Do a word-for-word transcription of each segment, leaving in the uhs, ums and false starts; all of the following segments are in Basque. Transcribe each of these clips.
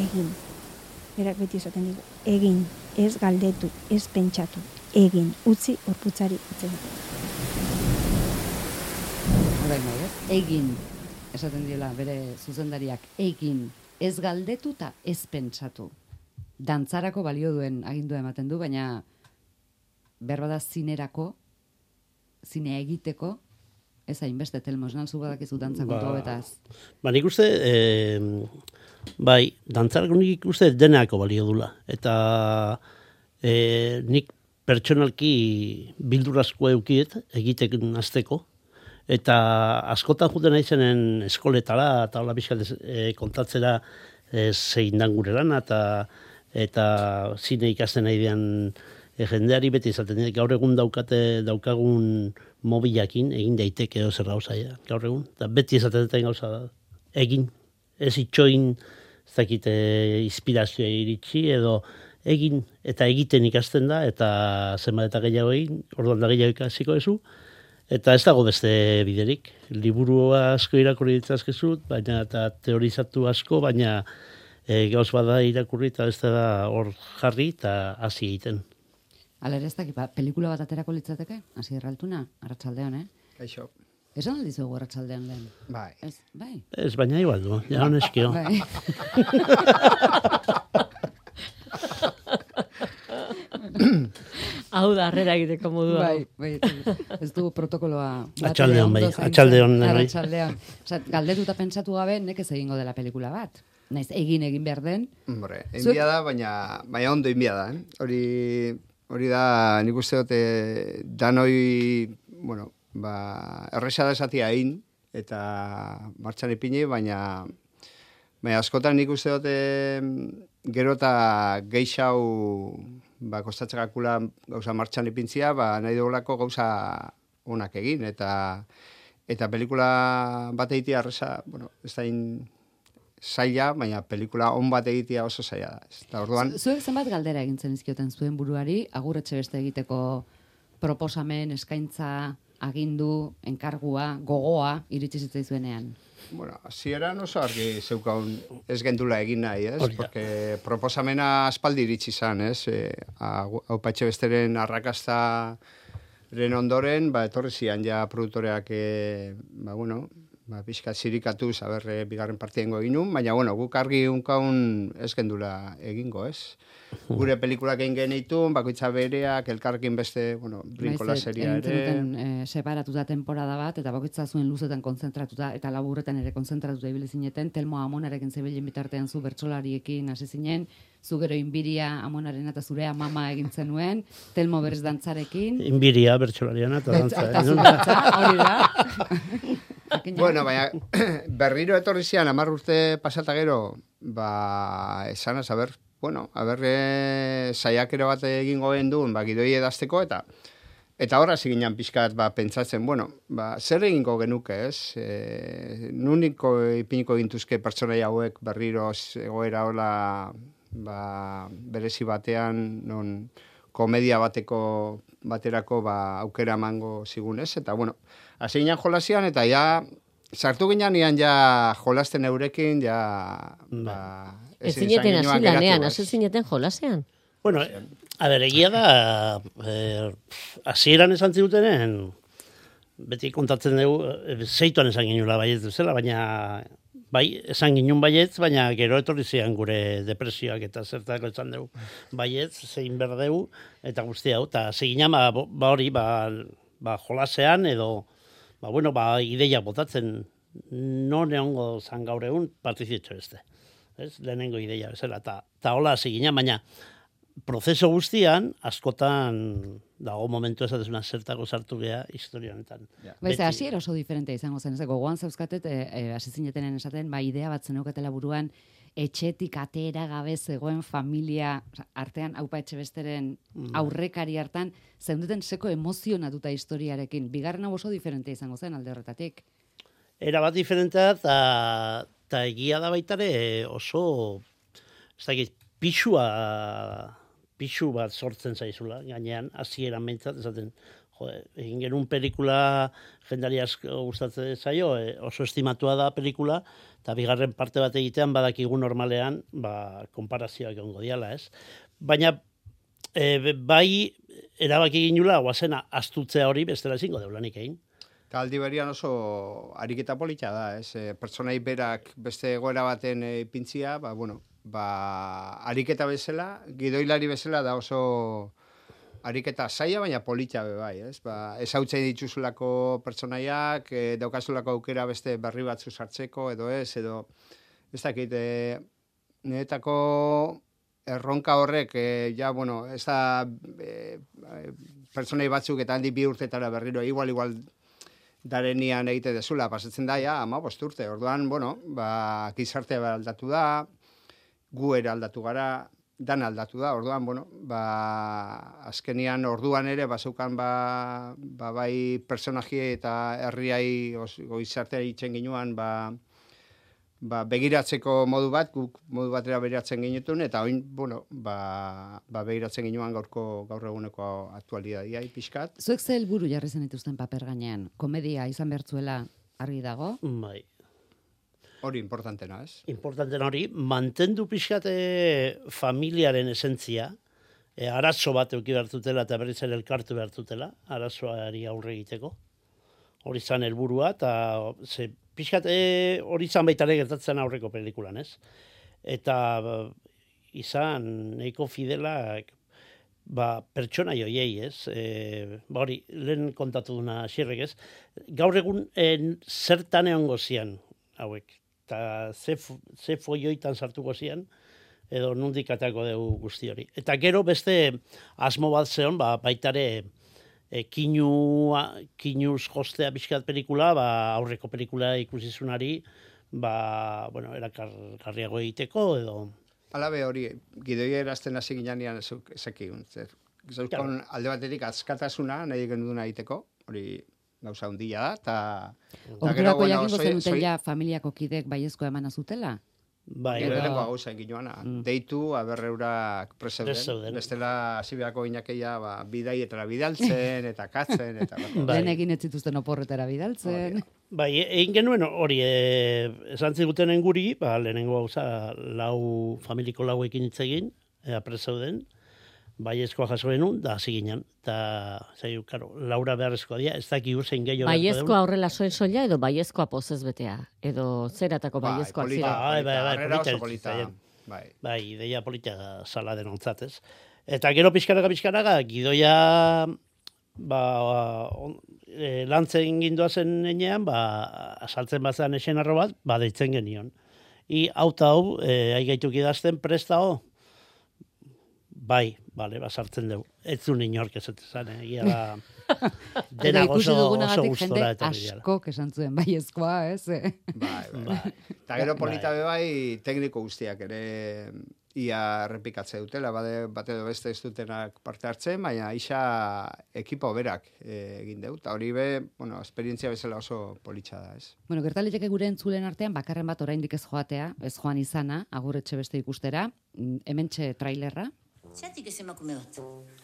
egin. Berak beti esaten digu, egin, ez galdetu, ez pentsatu, egin, utzi gorputzari utzen. Orain bai, ez? Egin, esaten diola bere zuzendariak, egin, ez galdetu eta ez pentsatu. Dantzarako balio duen agindua ematen du, baina berbada zinerako, zine egiteko, ez hainbeste, Telmo, esnal zu badakizu dantza kontu hauetaz. Ba, nik uste, e, bai, dantzarako nik uste denako balio dula. Eta e, nik pertsonalki bildurazko eukiet, egiteken azteko. Eta askotan juten naizenen eskoletara, eta hola bizkat e, kontatzera e, zein dan gure lana, eta, eta zine ikasten nahi dian e, jendeari beti izaten, gaur egun daukate daukagun mobilakin egin daiteke edo zer gauza ja, gaur egun. Da beti esaten duten gauza egin, ez itxoin, ez dakite inspirazioa iritsi, edo egin eta egiten ikasten da, eta zenbat eta gehiago egin, orduan da gehiago ikasiko ezu, eta ez dago beste biderik. Liburu asko irakurri ditzazkezut, baina eta teorizatu asko, baina e, gauz bada irakurri eta ez da hor jarri eta hasi egiten. Hala ere ez dakit, ba, pelikula bat aterako litzateke? Hasi erraltuna, arratsaldean, eh? Kaixo. Esan aldizu egu arratsaldean lehen? Bai. Ez, bai. Ez, baina igual du, ja honeskio. Bai. Hau da, harrera egiteko modua. Bai, bai, ez du protokoloa. Atxaldeon, bai, atxaldeon. Atxaldeon. Osa, galdetu eta pentsatu gabe, nekez egingo dela pelikula bat. Naiz, egin egin behar den. Hombre, enbia da, baina, baina ondo enbia da, eh? Hori... Hori da, nik uste dute, danoi, bueno, ba, erresa da esatia egin, eta martxan ipini, baina, baina askotan nik uste dute, gero eta geixau, ba, kostatzekakula gauza martxan ipintzia, ba, nahi dugulako gauza onak egin, eta, eta pelikula bat egitea erresa, bueno, ez da in, zaila, baina pelikula on bat egitea oso zaila da. Eta orduan... Zuek zenbat galdera egintzen izkioten zuen buruari, agur etxe beste egiteko proposamen, eskaintza, agindu, enkargua, gogoa, iritsi zitzaizuenean? Bueno, hasieran oso argi zeukaun ez gendula egin nahi, ez? Porque proposamena aspaldi iritsi zan, ez? E, Aupa etxe besteren arrakastaren ondoren, ba, etorri zian ja produktoreak, e, ba, bueno, ba, pixka zirikatu, zaber, bigarren partiengo egin nun, baina, bueno, guk argi unkaun ez gendula egingo, ez? Gure pelikulak egin genitun, bakoitza bereak, elkarrekin beste, bueno, brinkola seria ere. Duten, e, separatuta temporada bat, eta bakoitza zuen luzetan konzentratuta, eta laburretan ere konzentratuta ibili zineten, Telmo Amonarekin zebilen bitartean zu bertsolariekin hasi zinen, zu gero Inbiria Amonaren eta zure amama egin zenuen, Telmo berez dantzarekin. Inbiria bertsolariana eta dantza. Eta zu dantza, hori da. Bueno, baina berriro etorri zian, hamar urte pasata gero, ba, esan az, a ber, bueno, a ber, e, saiakero bat egingo genduen, ba, gidoi edazteko, eta eta horra ziginan pixkat, ba, pentsatzen, bueno, ba, zer egingo genuke, ez? E, nuniko ipiniko gintuzke pertsonai hauek berriro egoera hola, ba, berezi batean, non komedia bateko baterako, ba, aukera emango zigunez, eta, bueno, hasi ginen jolasian, eta ja, sartu ginen ian ja jolasten eurekin, ja, ba... Ez zineten hasi lanean, hasi zineten jolasean? Bueno, a ber, egia da, hasieran esan zirutenen, beti kontatzen dugu, zeituan esan ginula baietz duzela, baina, bai, esan ginun baietz, baina gero etorri zian gure depresioak eta zertako esan dugu baietz, zein behar dugu, eta guzti hau, eta zeginan, ba, ba hori, ba, ba jolasean, edo, ba, bueno, ba, ideia botatzen, non egongo zan gaur egun, partizitxo beste. Ez, lehenengo ideia bezala, eta ta hola hasi ginen, baina prozeso guztian, askotan dago momentu esatezuna zertako sartu geha historia honetan. Yeah. Baiza, hasi oso diferentea izango zen, ez gogoan zauzkatet, hasi e, zinetenen esaten, ba, idea bat zeneukatela buruan, etxetik atera gabe zegoen familia, artean Aupa etxe besteren aurrekari hartan, zeundeten seko emozionatuta historiarekin. Bigarren hau oso diferentea izango zen alde horretatik. Era bat diferentea, eta eta egia da baitare oso, ez dakit, pixua, pixu bat sortzen zaizula, gainean, hasieran behintzat, esaten, jode, egin genuen pelikula jendari asko gustatzen zaio, e, oso estimatua da pelikula, eta bigarren parte bat egitean badakigu normalean, ba, konparazioak egongo diala, ez? Baina, e, bai, erabaki ginula, guazena, astutzea hori bestela ezingo deulanik egin. Eta aldi berian oso ariketa polita da, ez? E, pertsonai berak beste egoera baten e, pintzia, ba, bueno, ba, ariketa bezala, gidoilari bezala da oso ariketa zaila, baina polita be bai, ez? Ba, ezautzen dituzulako pertsonaiak, e, daukazulako aukera beste berri batzu sartzeko, edo ez, edo, ez dakit, e, niretako erronka horrek, e, ja, bueno, ez da e, pertsonai batzuk eta handi bi urtetara berriro, igual, igual, darenian egite dezula, pasatzen da, ja, ama bost urte, orduan, bueno, ba, gizartea aldatu da, gu ere aldatu gara, dan aldatu da, orduan, bueno, ba, azkenian orduan ere, bazeukan, ba, ba, bai personaji eta herriai goizartea itzen ginuan, ba, ba, begiratzeko modu bat, guk modu batera begiratzen ginetun, eta oin, bueno, ba, ba begiratzen ginuan gaurko gaur eguneko aktualitatea pixkat. Zuek ze helburu jarri zen dituzten paper gainean? Komedia izan bertzuela argi dago? Bai. Hori importantena, ez? Importanten hori, mantendu pixkate familiaren esentzia, e, arazo bat euki behartutela eta berriz ere elkartu behartutela, arazoari aurre egiteko. Hori zan helburua, eta ze, pixkat hori zan baita ere gertatzen aurreko pelikulan, ez? Eta izan nahiko fidelak ba, pertsona joiei, ez? E, ba hori, lehen kontatu duna xirrek, ez? Gaur egun en, zertan egon gozian, hauek, eta ze, ze foioitan sartuko zian, edo nundik atako dugu guzti hori. Eta gero beste asmo bat zeon, ba, baitare e, kinu, kinuz jostea pixkat pelikula, ba, aurreko pelikula ikusizunari, ba, bueno, erakargarriago egiteko, edo... Alabe hori, gidoi erazten hasi ginean ezekiun. Zauzkon alde batetik azkatasuna nahi genuduna egiteko, hori gauza hundia da, eta... Ordurako bueno, jakingo zenuten ja familiako kidek baiezko eman azutela? Bai, lehenengo gauza egin joana. Mm. Deitu, aberreurak preseuden. Bestela hasibeako inakeia ba, bidaietara bidaltzen, eta katzen, eta... Bai. Lehen egin ez zituzten oporretara bidaltzen. Bai, egin genuen hori, e, esan zigutenen guri, ba, lehenengo gauza lau familiko lauekin hitz egin, ea preseuden, baiezkoa jaso genuen, da hasi ginen. Eta, zaiu, karo, Laura beharrezkoa dia, ez daki urzein gehiago. Baiezkoa horrela soen soila, edo baiezkoa pozez betea? Edo zeratako baiezkoa bai, zira? Bai, bai, bai, polita. Bai, bai, ideia polita sala denontzat, ez? Eta gero pixkaraga, pixkaraga, gidoia ba, on, e, lantzen ginduazen enean, ba, asaltzen bazan esen arro bat, ba, deitzen genion. I, hau eta hau, e, aigaituk idazten presta ho, bai, bale, basartzen dugu. Ez zuen inork ezetezan, egia da... Dena oso, oso gustora. Eta askok esan zuen baiezkoa, ez? Bai, bai. Eta gero polita be bai, tekniko guztiak ere ia errepikatze dutela, bade, bate edo beste ez dutenak parte hartzen, baina isa ekipo berak egin dut. Eta hori be, bueno, esperientzia bezala oso politxa da, ez? Bueno, gertaliteke gure entzulen artean, bakarren bat oraindik ez joatea, ez joan izana, agurretxe beste ikustera, hementxe trailerra. Zeratik ez emakume bat?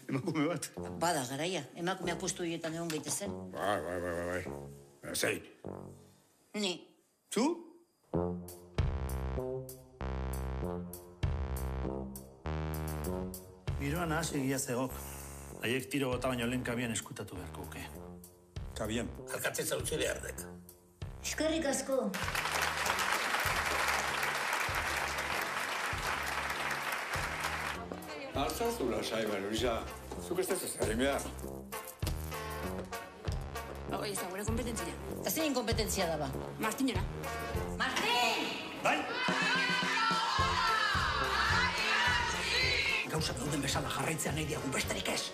Emakume bat? Bada, garaia. Emakumea postu horietan egon gaitezen. Bai, bai, bai, bai, bai. Zein? Ni. Zu? Giroan ahaz egia zegok. Haiek tiro gota baino lehen kabian eskutatu beharko uke. Kabian? Alkatzen zautze behar dek. Eskerrik asko. Altzazu lasai, Marisa. Zuk ez ez egin behar. Hoi, ez da, gure kompetentzia. Eta zein kompetentzia daba? Martinera. Martin! Bai! Gauzak dauden bezala jarraitzea nahi diagun besterik ez.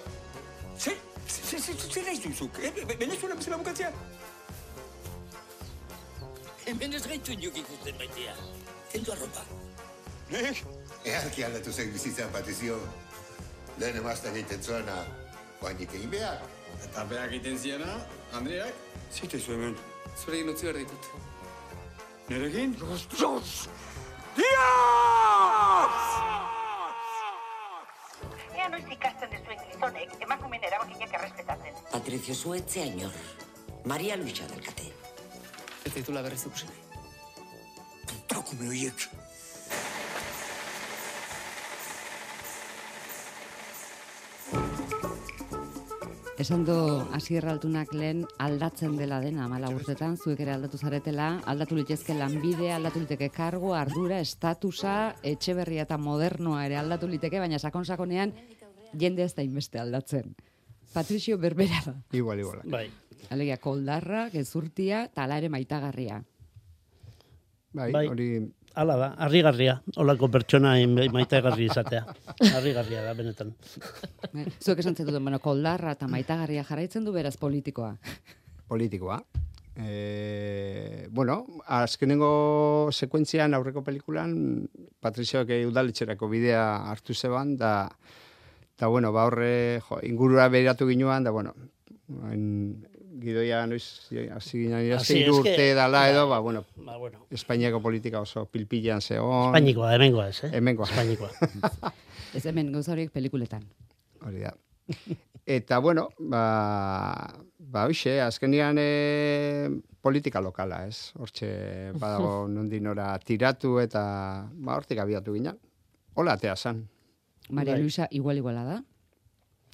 Zer? Zer nahi duzuk? Venezuela bezala bukatzea? Hemen ez gaitu inok ikusten baitea. Kendu arropa. Nek? Earki aldatu zen bizitzan patizio. Lehen emazten egiten zuena, guainik egin behar. Eta behak egiten ziena, Andreak? Zite zu hemen. Zurekin utzi behar ditut. Nerekin? Dios! Ea noiz ikastea hartzen dezuen gizonek, emakumeen erabakinak errespetatzen. Patricio Zuetzea inor. Maria Luisa delkate. Ez ditula berriz ikusi nahi. Takume horiek. Esan du Asier Altunak lehen aldatzen dela dena hamala urtetan, zuek ere aldatu zaretela, aldatu litezke lanbidea, aldatu liteke kargu, ardura, estatusa, etxeberria eta modernoa ere aldatu liteke, baina sakon-sakonean jende ez da inbeste aldatzen. Patricio berbera da. Igual, igual. Bai. Alegia, koldarra, gezurtia, eta ala ere maitagarria. Bai, Bai. hori... Hala da, harrigarria, holako pertsona maitagarri izatea. Harrigarria da, benetan. Zuek esan zetuten, bueno, koldarra eta maitagarria jarraitzen du beraz politikoa. Politikoa. E, bueno, azkenengo sekuentzian aurreko pelikulan Patrizioak udaletxerako bidea hartu zeban, da, da bueno, ba horre, jo, ingurura behiratu ginuan, da, bueno, en, gidoia noiz, hasi ginen irazte urte dala edo, ba, bueno, ba, bueno. Espainiako politika oso pilpilan zegoen. Espainikoa, hemengoa ez, eh? Hemengoa. Espainikoa. Ez hemen gauza horiek pelikuletan. Hori da. Eta, bueno, ba, ba hoxe, azkenian e, politika lokala, ez? Hortxe, badago nondinora tiratu eta, ba, hortik abiatu ginen. Hola, atea zan. Maria Luisa igual-iguala da.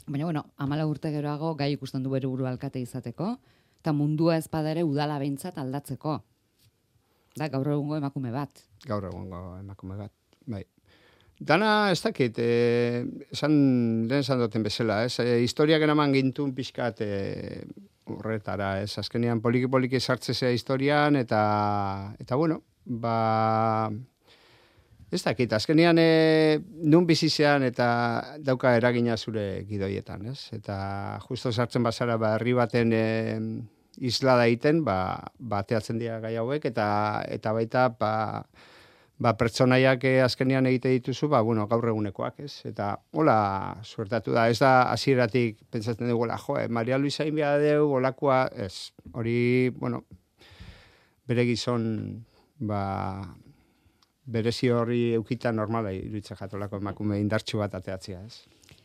Baina, bueno, amala urte geroago gai ikusten du bere buru alkate izateko, eta mundua ezpada ere udala behintzat aldatzeko. Da, gaur egungo emakume bat. Gaur egungo emakume bat, bai. Dana, ez dakit, e, esan, lehen esan duten bezala, ez? E, historiak eraman gintun pixkat e, horretara, ez? Azkenean poliki-poliki sartzezea historian, eta, eta bueno, ba... Ez dakit, azkenean e, nun bizizean eta dauka eragina zure gidoietan, ez? Eta justo sartzen bazara ba, herri baten e, isla da egiten, ba, bateatzen dira gai hauek, eta, eta baita ba, ba, pertsonaiak e, azkenean egite dituzu, ba, bueno, gaur egunekoak, ez? Eta hola suertatu da, ez da hasieratik pentsatzen dugu, jo, eh, Maria Luisa inbia deu, olakoa, ez, hori, bueno, bere gizon, ba... berezi horri eukita normala iruitza jatolako emakume indartxu bat ateatzea, ez?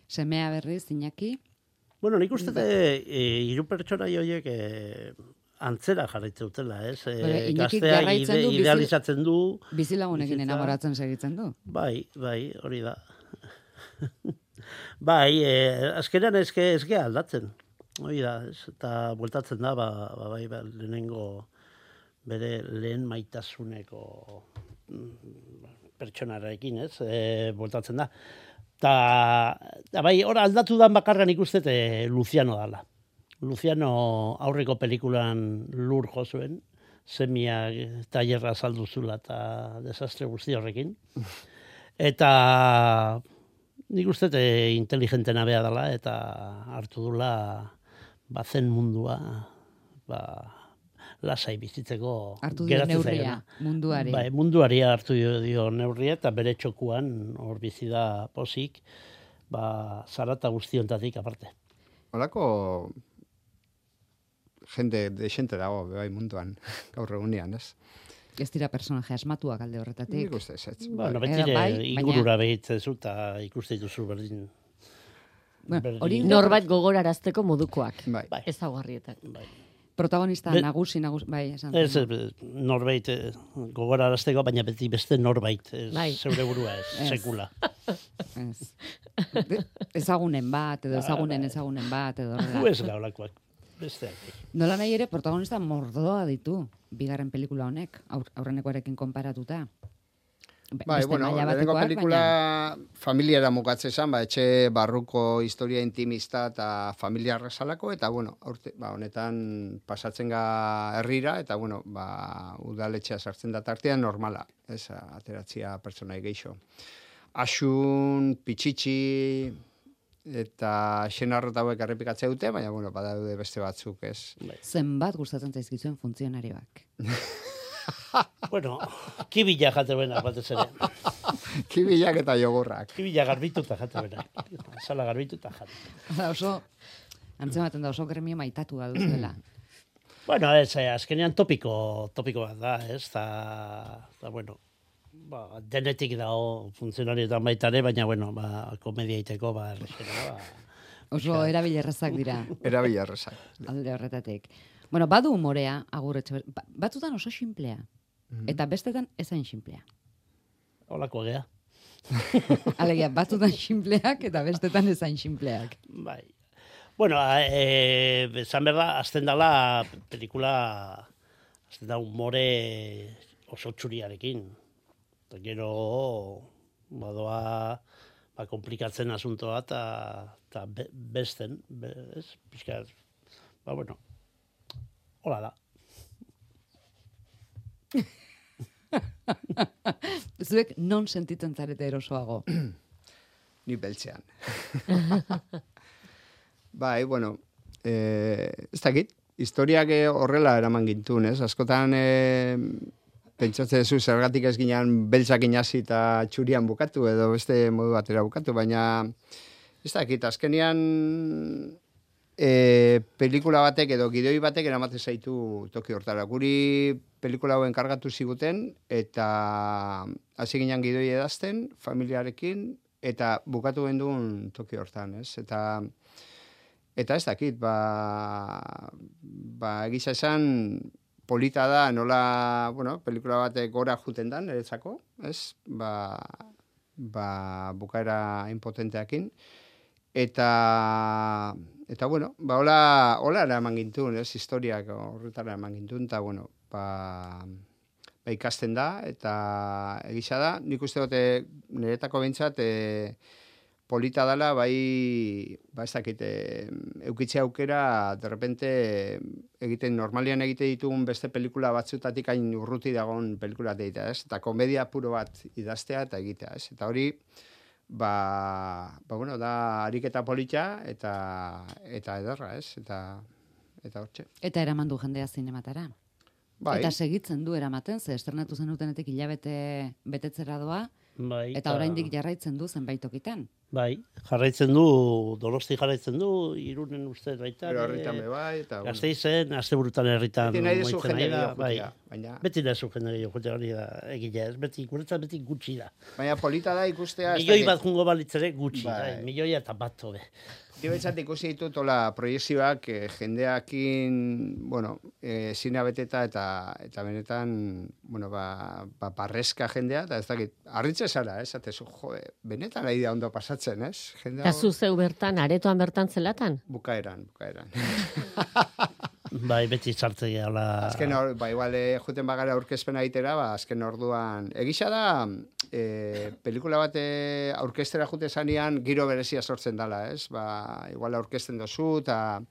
Semea berriz, Iñaki? Bueno, nik uste e, hiru pertsona horiek e, antzera jarraitzen dutela, ez? E, Gaztea ide, du, idealizatzen du. Bizilagunekin enamoratzen segitzen du. Bai, bai, hori da. Bai, e, azkenean ezke, ezke aldatzen. Hori da, ez? Eta bueltatzen da, ba, ba, bai, ba, lehenengo bere lehen maitasuneko pertsonarekin, ez, e, voltatzen da. Ta, ta bai, ora aldatu dan bakarran ikustet e, Luciano dala. Luciano aurreko pelikulan lur jo zuen, semia tailerra saldu zula eta desastre guzti horrekin. Eta nik ustet e, inteligentena bea dala eta hartu dula bazen mundua, ba, lasai bizitzeko hartu dio neurria munduari. Bai, munduari hartu dio, dio neurria eta bere txokuan hor bizi da posik, ba zarata guztiontatik aparte. Holako jende desente dago bai munduan gaur egunean, ez? Ez dira personaje asmatuak alde horretatik. Nik uste ez. Bueno, betire bai, ingurura baina... behitzezu eta ikuste dituzu berdin. Bueno, hori norbait gogorarazteko modukoak. Bai. Ezagarrietak. Bai. Protagonista Be, nagusi, nagusi, bai, esan. Ez, norbait gogorarazteko, baina beti beste norbait, ez, bai. Zeure burua ez, ez. Sekula. Ez. Ezagunen bat, edo ezagunen ezagunen bat, edo horrela. Gu ez gaulakoak, besteak. Nola nahi ere, protagonista mordoa ditu, bigarren pelikula honek, aur, aurrenekoarekin konparatuta. Bai, bueno, lehenengo pelikula baina... familiara mukatze esan, ba, etxe barruko historia intimista eta familia arrasalako, eta, bueno, aurte, ba, honetan pasatzen ga herrira, eta, bueno, ba, udaletxea sartzen da tartean normala, ez, ateratzia pertsonai geixo. Asun, pitxitxi, eta xenarrota hauek errepikatzea dute, baina, bueno, badaude beste batzuk, ez. Zenbat gustatzen zaizkizuen funtzionarioak? Bueno, kibila jate bena, batez ere. Kibilak eta jogurrak. Kibila garbituta jate bena. Sala garbituta jate. Da oso, antzematen da oso gremio maitatu da duzuela. Bueno, ez, azkenean topiko, topiko bat da, ez, da, da bueno, ba, denetik dago funtzionarietan baita ere, baina, bueno, ba, komedia iteko, ba, errexena, ba. Oso erabilerrazak dira. Erabilerrazak. Alde horretatik. Bueno, badu umorea, agurretxe, ba, batzutan oso xinplea. Mm-hmm. Eta bestetan ezain xinplea. Holako gea. Alegia, batzutan xinpleak eta bestetan ezain xinpleak. Bai. Bueno, eh, esan berda, azten dala pelikula, azten da umore oso txuriarekin. Eta gero, badoa, ba, komplikatzen asuntoa eta be, besten, be, ez, pixka, ba, bueno, hola da. Zuek non sentitzen zarete erosoago? Ni beltzean. Bai, bueno, eh, ez dakit, historiak horrela eraman gintun, ez? Askotan eh, pentsatzen zu zergatik ez ginean beltzak inasi eta txurian bukatu edo beste modu batera bukatu, baina ez dakit, azkenian e, pelikula batek edo gidoi batek eramate zaitu toki hortara. Guri pelikula hauen kargatu ziguten eta hasi ginean gidoi edazten familiarekin eta bukatu genduen toki hortan, ez? Eta eta ez dakit, ba, ba egisa esan polita da nola, bueno, pelikula batek gora juten dan, eretzako, ez? Ba, ba bukaera impotenteakin. Eta, eta bueno, ba, hola, hola eraman gintun, ez? Historiak horretara eraman gintun, eta, bueno, ba, ba ikasten da, eta egisa da, nik uste dute niretako behintzat, e, polita dela, bai, ba ez dakit, eukitze aukera, de repente, egiten, normalian egite ditugun beste pelikula batzutatik hain urruti dagoen pelikula egitea, ez? Eta komedia puro bat idaztea eta egitea, ez? Eta hori, ba, ba bueno, da ariketa polita eta eta ederra, ez? Eta, eta hortxe. Eta eraman du jendea zinematara. Bai. Eta segitzen du eramaten, ze estrenatu zenutenetik hilabete betetzera doa, bai, eta oraindik jarraitzen du zenbait tokitan. Bai, jarraitzen du, Donosti jarraitzen du, Irunen ustez baita. Pero herritan be bai, eta... Gasteizen, asteburutan herritan. Beti nahi dezu jende da, bai. Baina... Beti nahi dezu jende gehiago hori da, egile ez, beti, guretzat beti gutxi da. Baina polita da ikustea... Milioi bat jungo balitzere gutxi, bai. Bai, milioia eta bat tobe. Dibetzat ikusi ditut ola proiezioak eh, jendeakin, bueno, eh, zina beteta eta eta benetan, bueno, ba, ba parrezka jendea, eta ez dakit, arritze zara, ez, atezu, jo, benetan nahi da ondo pasatzen, ez? Eta zu zeu bertan, aretoan bertan zelatan? Bukaeran, bukaeran. Bai, beti sartze gehala... Azken hor, ba, igual, eh, juten bagara aurkezpena egitera, ba, azken orduan... Egisa da, eh, pelikula bat eh, aurkestera jute zanean giro berezia sortzen dela, ez? Ba, igual aurkezten dozu, eta...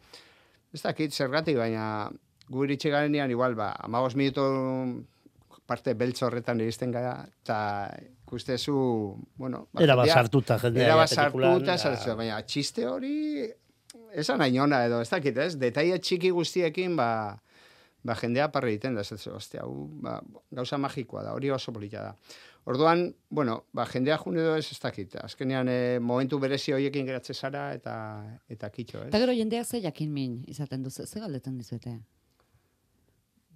Ez dakit, zergatik, baina gu iritsi garenean, igual, ba, amabos minuto parte beltz horretan iristen gara, eta ikustezu, bueno... Ba, era basartuta, jendea. Era basartuta, da... baina txiste hori... Esan hain ona edo, ez dakit, ez? Detaile txiki guztiekin, ba, ba jendea parre egiten da, ez ez, ostia, ba, gauza magikoa da, hori oso polita da. Orduan, bueno, ba, jendea june edo ez, ez dakit, azkenean eh, momentu berezi horiekin geratze zara, eta eta kitxo, ez? Eta gero jendeak ze jakin min izaten du, ze galdetzen dizuete?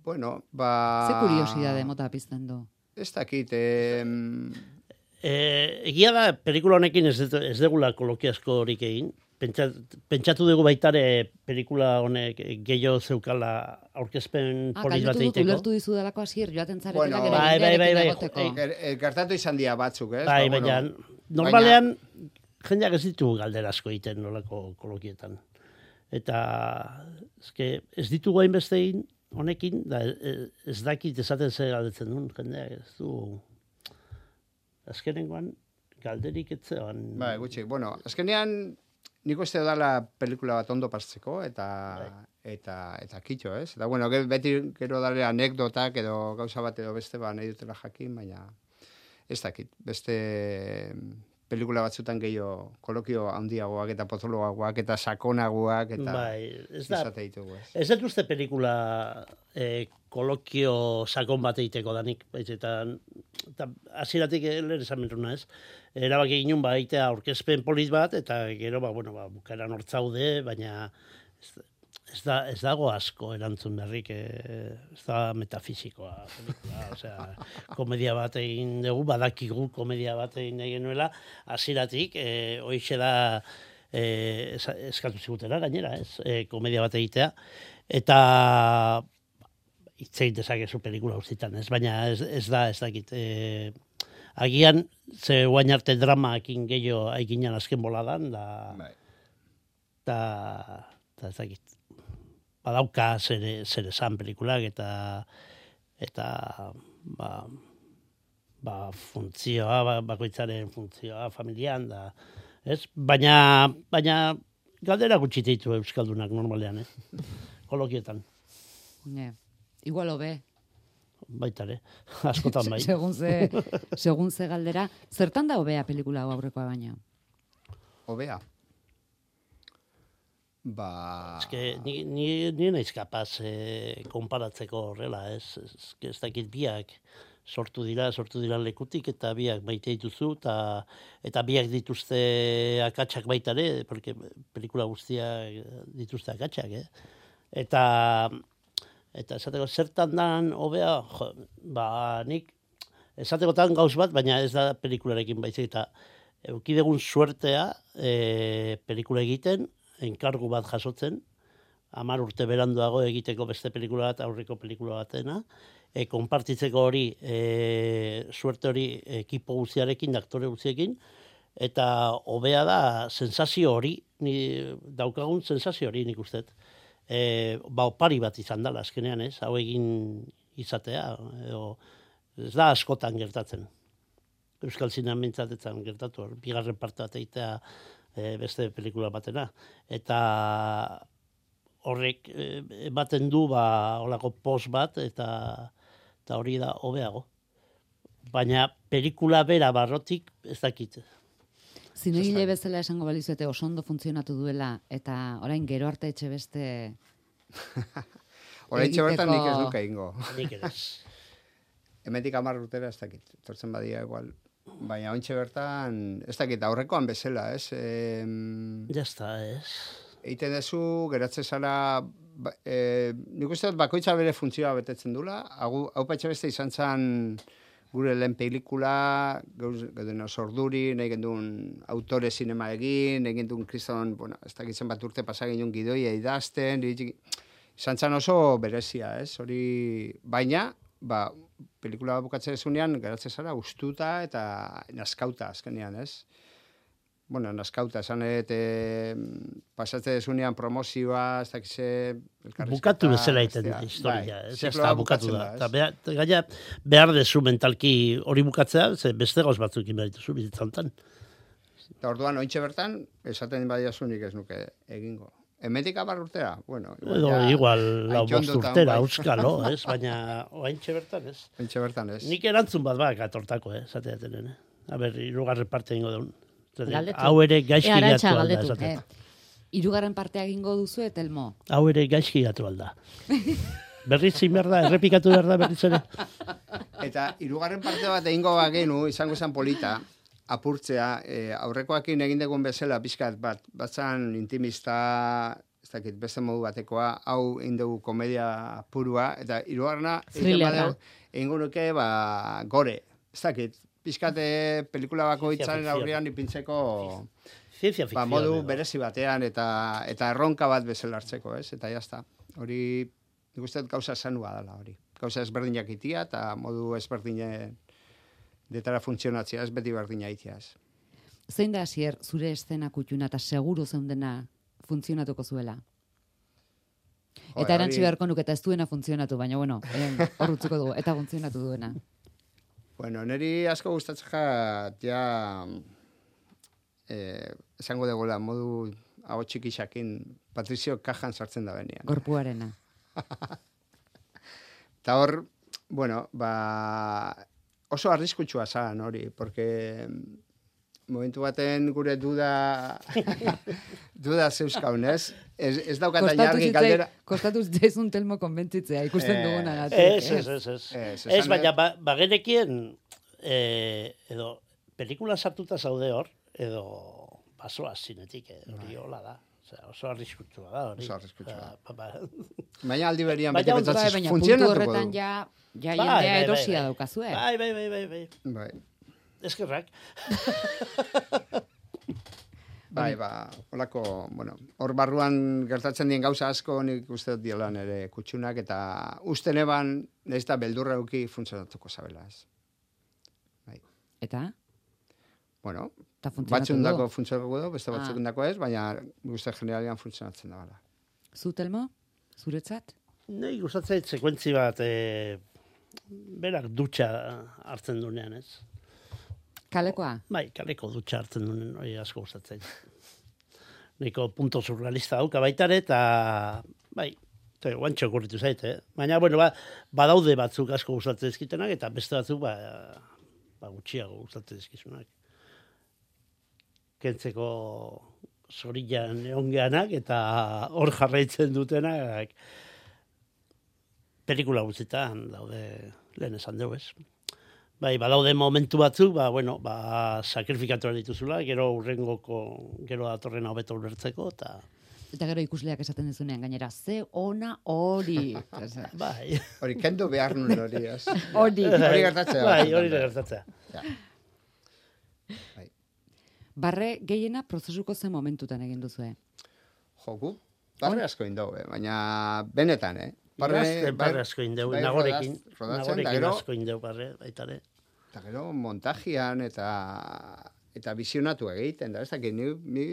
Bueno, ba... Ze kuriosidade mota pizten du? Ez dakit, eh... Eh, egia da, pelikula honekin ez, ez degula kolokiazko horik egin. Pentsatu, pentsatu dugu baitare pelikula honek gehiago zeukala aurkezpen ah, polit bat egiteko. Ulertu dizu delako asier joaten zaretela bueno, gero bai, bai, bai, bai, egoteko. Gertatu izan dira batzuk, ez? Bai, ba, baina, bueno, normalean, baina... jendeak ez ditu galderasko egiten nolako kolokietan. Eta, ezke, ez ditugu hainbeste egin honekin, da, ez dakit esaten ze galdetzen duen, jendeak ez du... Azkenengoan, galderik etzean... Bai, gutxi, bueno, azkenean... Nik uste dala pelikula bat ondo pasatzeko eta bai. eta eta kitxo, ez? Eta bueno, beti gero dale anekdotak edo gauza bat edo beste ba nahi dutela jakin, baina ez dakit. Beste pelikula batzutan gehiago kolokio handiagoak eta potoloagoak eta sakonagoak eta bai, ez da. Ditugu, ez. Ez dut uste pelikula eh, kolokio sakon bat egiteko danik, baiz eta eta hasieratik lehen esan mentruna, ez? Erabaki ginen ba egitea aurkezpen polit bat eta gero ba bueno, ba bukaeran hortzaude, baina ez, ez, da, ez dago asko erantzun berrik, eh, ez da metafisikoa. Pelikula, osea, komedia bat egin dugu, badakigu komedia bat egin nahi genuela, hasieratik, eh, hoixe da eh, eskatu zigutela gainera, ez, eh, komedia bat egitea, eta itzein dezakezu pelikula guztietan, ez, baina ez, ez da, ez dakit, eh, agian, ze guain arte dramaekin gehiago aiginan azken boladan, da, da, da ez dakit, badauka zer, zer esan pelikulak, eta, eta, ba, ba, funtzioa, ba, bakoitzaren funtzioa, familian, da, ez, baina, baina, galdera gutxi ditu euskaldunak normalean, eh, kolokietan. Ne, igual hobe. Baitare, askotan bai. Segun ze, segun ze galdera, zertan da hobea pelikula hau aurrekoa baina? Hobea? Ba... Ez que ni, ni, ni naiz kapaz eh, konparatzeko horrela, ez, ez, ez dakit biak sortu dira, sortu dira lekutik, eta biak maite dituzu, eta, eta biak dituzte akatsak baitare, porque pelikula guztiak dituzte akatsak, eh? Eta... Eta esateko, zertan dan, hobea, jo, ba, nik, esatekotan gauz bat, baina ez da pelikularekin baizik, eta eukidegun suertea e, pelikula egiten, enkargu bat jasotzen, hamar urte beranduago egiteko beste pelikula bat, aurreko pelikula batena, e, konpartitzeko hori, e, suerte hori ekipo guztiarekin, aktore guztiekin, eta hobea da sensazio hori, ni, daukagun sensazio hori nik ustet. E, ba, opari bat izan dela, azkenean, ez, hau egin izatea, edo, ez da askotan gertatzen. Euskal Zinean mintzatetzen gertatu, bigarren parte bat egitea e, beste pelikula batena. Eta horrek e, ematen du, ba, holako post bat, eta, eta hori da hobeago. Baina pelikula bera barrotik ez dakit. Zinegile bezala esango balizuete oso ondo funtzionatu duela, eta orain gero arte etxe beste... Orain etxe bertan nik ez duke ingo. Nik ez. Hemetik hamar urtera ez dakit, tortzen badia igual. Baina ointxe bertan, ez dakit, aurrekoan bezala, ez? E, ja está, ez. Eiten dezu, geratzen zara, ba, e, nik uste dut bakoitza bere funtzioa betetzen dula, hau, hau patxe beste izan zen... Gure lehen pelikula, gauden sorduri, nahi gendun autore sinema egin, egin duen kriston, bueno, ez dakitzen bat urte pasagin duen gidoia idazten, izan zan oso berezia, ez? Hori, baina, ba, pelikula bukatzen ezunean, geratzen zara, ustuta eta naskauta azkenean, ez? Bueno, naskauta, esan et, e, pasatzen ezunean promozioa, ez dakize... Bukatu bezala egiten dut historia, ez da bukatu da. Eta behar, gaina, behar dezu mentalki hori bukatzea, ze beste gauz batzukin behar dituzu bizitzantan. Eta orduan, ointxe bertan, esaten badiazunik ez nuke egingo. Hemetik hamar urtera? Bueno, igual, Edo, ja, igual lau bost urtera, bai. Euskalo, ez? Baina, ointxe bertan, ez? Ointxe bertan, ez. Nik erantzun bat bak atortako, eh? Zateaten, eh? A ber, irugarren parte ingo daun. Galdetu. Hau ere gaizki e, gatu alda, galdetu. esaten. E, irugarren partea egingo duzu, eta elmo. Hau ere gaizki gatu alda. Berriz zin behar da, errepikatu behar da berriz ere. Eta irugarren parte bat egingo bagenu, izango zen polita, apurtzea, e, aurrekoakin egin degun bezala, pixkat bat, batzan intimista, ez dakit, beste modu batekoa, hau egin dugu komedia purua, eta irugarrena, egingo nuke, ba, gore, ez dakit, pizkate pelikula bako itzaren aurrean ipintzeko ba, modu berezi batean eta eta erronka bat bezala hartzeko, ez? Eta jazta. Hori, nik uste dut gauza zanua dela hori. Gauza ezberdinak itia eta modu ezberdinen detara funtzionatzea, ez beti berdina itia, ez. Zein da, Asier, zure estena kutxuna eta seguru zeundena funtzionatuko zuela? Eta erantzi beharko nuke eta ez duena funtzionatu, baina bueno, hor utzuko dugu, eta funtzionatu duena. Bueno, niri asko gustatzen jat, ja, eh, esango degoela, modu hau txikixakin, Patrizio Kajan sartzen da benian. Gorpuarena. Eta hor, bueno, ba, oso arriskutsua zan hori, porque momentu baten gure duda duda zeuskaun, ez? Ez, ez daukata jargi galdera. Kostatu zitzaizun Telmo konbentzitzea, ikusten eh, duguna. Ez, ez, ez, ez. Ez, ez baina, ba, bagenekien, eh, edo, pelikula sartuta zaude hor, edo, basoa zinetik, hori hola da. Osea, oso arriskutsua da hori. Oso arriskutsua. Ba, ba. Baina aldi berian Baina beti ondo, pentsatzen Baina puntu funtzionatuko horretan du. ja, ja Bai, jendea bai, erosia bai, daukazue. Bai, bai, bai, bai, bai. Bai. Eskerrak. Bai, ba, holako, bueno, hor barruan gertatzen dien gauza asko nik uste dut diola nere kutxunak, eta uste neban, nahiz eta beldurra euki funtzionatuko zabela, ez. Bai. Eta? Bueno, Ta funtzionatu batzundako du? funtzionatuko du, beste Ah. batzundako ez, baina uste generalian funtzionatzen da bala. Zu, Telmo? Zuretzat? Nei gustatzen zait sekuentzi bat, e, berak dutxa hartzen dunean, ez? Kalekoa? Bai, kaleko dutxa hartzen duen, hori asko gustatzen. Niko punto surrealista dauka baitare, eta bai, eta guantxo okurritu zait, eh? Baina, bueno, ba, badaude batzuk asko gustatzen ezkitenak, eta beste batzuk, ba, ba gutxiago gustatzen ezkizunak. Kentzeko zorilan eongeanak, eta hor jarraitzen dutenak, pelikula guztietan daude, lehen esan dugu, ez? Bai, badaude momentu batzuk, ba, bueno, ba, sakrifikatu dituzula, gero urrengoko, gero datorrena hobeto ulertzeko, eta... Eta gero ikusleak esaten dezunean, gainera, ze ona hori. Bai. Hori, kendu behar nun hori, ez? Hori. Hori gertatzea. Bai, hori gertatzea. Ja. Bai. Barre gehiena prozesuko zen momentutan egin duzue. Joku, barre asko indau, eh? Baina benetan, eh? Barre, barre asko indeu, bai, nagorekin, rodatzen, nagorekin gero, asko indeu barre, baitare. eta gero montajian eta eta visionatu egiten, da, ez dakit, ni, ni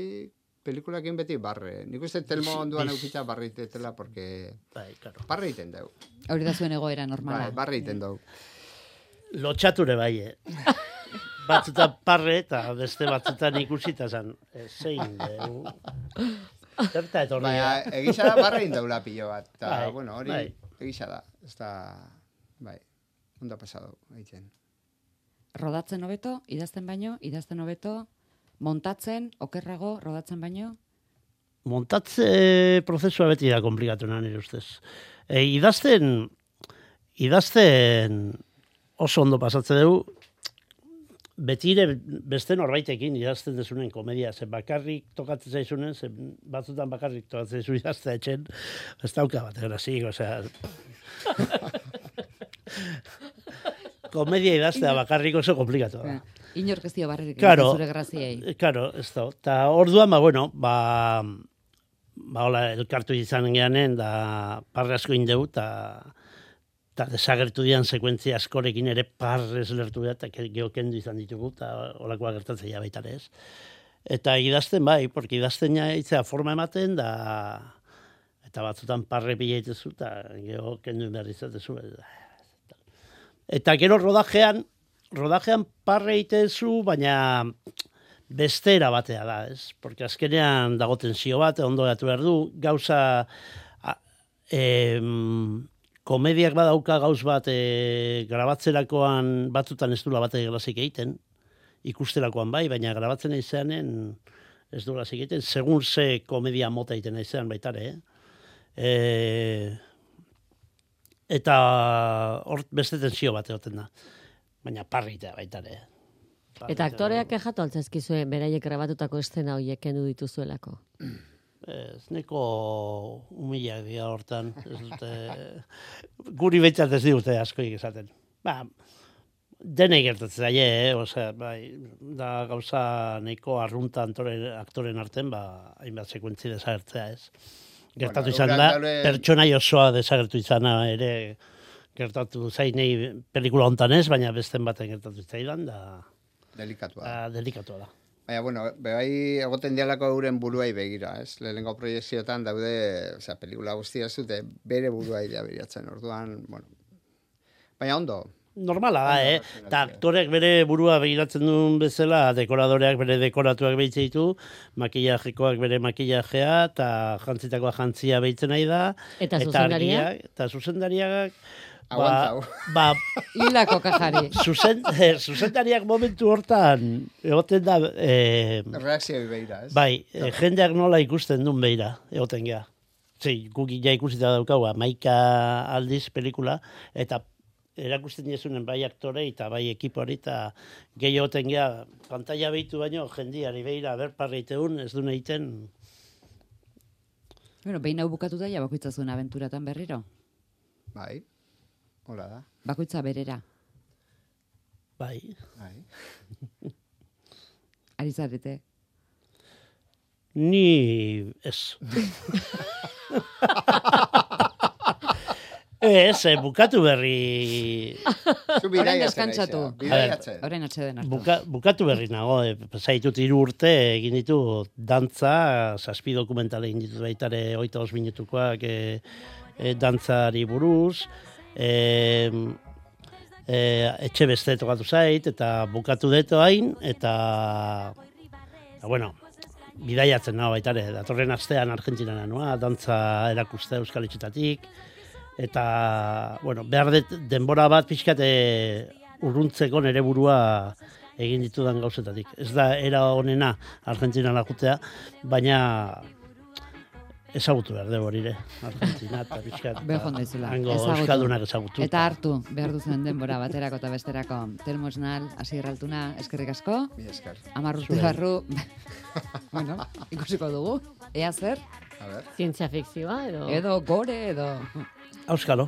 pelikulakin beti barre. Nik uste Telmo onduan eukita barre itetela, porque bai, claro. Barre iten dau. Hori da zuen egoera normala. Bai, barre iten dau. Lotxature bai, eh? Batzutan parre eta beste batzutan ikusita zan, eh, zein, eh, zerta etorri. Baina, egisa da barre indaula pilo bat. Ta, Bai, bueno, hori, bai. egisa da. Ez da, bai, ondo pasado, egiten. Rodatzen hobeto, idazten baino, idazten hobeto, montatzen, okerrago, rodatzen baino? Montatze prozesua beti da komplikatuena nire ustez. E, idazten, idazten oso ondo pasatzen dugu, betire beste norbaitekin idazten dezunen komedia, ze bakarrik tokatzen zaizunen, ze batzutan bakarrik tokatzen zaizu idaztea etxen, ez dauka bat, grazik, osea... Komedia idaztea bakarrik oso komplikatu da. Inork ez dio barrerik Claro, zure graziei. Claro, ez da. Ta orduan, ba, bueno, ba, ba, hola, elkartu izan geanen, da parre asko indeu, eta eta desagertu dian sekuentzia askorekin ere parrez lertu da, eta geokendu izan ditugu, eta holakoa gertatzen ja baitare ez. Eta idazten bai, porque idazten ja itzea forma ematen, da eta batzutan parre pila itezu, eta geokendu behar izatezu. Eta gero rodajean, rodajean parre itezu, baina bestera batea da, ez? Porque azkenean dago tensio bat, ondo gatu behar du, gauza... Em, komediak badauka gauz bat e, grabatzerakoan batzutan ez dula bat eglasik egiten, ikusterakoan bai, baina grabatzen izanen ez dula egiten, segun ze komedia mota egiten izan baitare, eh? E, eta hor beste tensio bat egoten da, baina parritea baitare. Eta aktoreak kejatu altzazkizue beraiek grabatutako estena horiek kendu dituzuelako? Ez, neko humilak dira hortan, ez dute, guri betzat ez digute askoik esaten. Ba, denei gertatzen zaie, eh? Osea, bai, da gauza neko arrunta antore, aktoren arten, ba, hainbat sekuentzi desagertzea, ez. Gertatu Bueno, izan da, daule... pertsonai osoa desagertu izana ere gertatu zainei pelikula hontan ez, baina besten baten gertatu zaidan, da... Delikatua. Da, delikatua da. Baina, bueno, bai egoten dialako euren buruai begira, ez? Lehenengo proiekzioetan daude, osea, pelikula guztia ez dute, bere buruai da beriatzen, orduan, bueno. Baina ondo. Normala da, eh? Eta aktoreak bere burua begiratzen duen bezala, dekoradoreak bere dekoratuak behitze ditu, makillajekoak bere makillajea, eta jantzitakoa jantzia behitzen nahi da. Eta zuzendaria? Eta zuzendariak... Aguantau. Ba, hilako kajari. Zuzen, eh, zuzendariak momentu hortan, egoten da... Eh, reakzioi beira, ez? Bai, eh, jendeak nola ikusten duen beira, egoten gea. Zei, guk ja ikusita daukau, maika aldiz pelikula, eta erakusten diezunen bai aktore eta bai ekipori, eta gehi egoten gea, pantalla behitu baino, jendiari beira, berparreiteun, ez duen egiten, Bueno, behin hau bukatuta ja bakoitza zuen abenturatan berriro. Bai, hola da. Bakoitza berera. Bai. Bai. Ari zarete. Ni ez. Ez, eh, bukatu berri... Orain deskantzatu. Orain atxeden hartu. Buka, bukatu berri nago, eh, zaitut hiru urte egin ditu dantza, zazpi dokumentale egin ditu baitare hogeita bost minutukoak eh, eh, dantzari buruz, eh, eh, etxe beste tokatu zait, eta bukatu deto hain, eta, eta bueno, bidaiatzen nago baitare, datorren astean Argentinara noa, dantza erakuste Euskal Etxetatik, eta, bueno, behar dut denbora bat pixkate urruntzeko nere burua egin ditudan gauzetatik. Ez da era honena Argentinara jutea, baina ezagutu behar dugu horire. Argentina eta pixkat. Behon daizula. Hango euskaldunak ezagutu. Eta hartu behar duzen denbora baterako eta besterako. Telmo Esnal, Asier Altuna, eskerrik asko. Mi esker. Amar urte barru. Bueno, ikusiko dugu. Ea zer? A ver. Zientzia fikzioa edo... Edo gore, edo... Auskalo.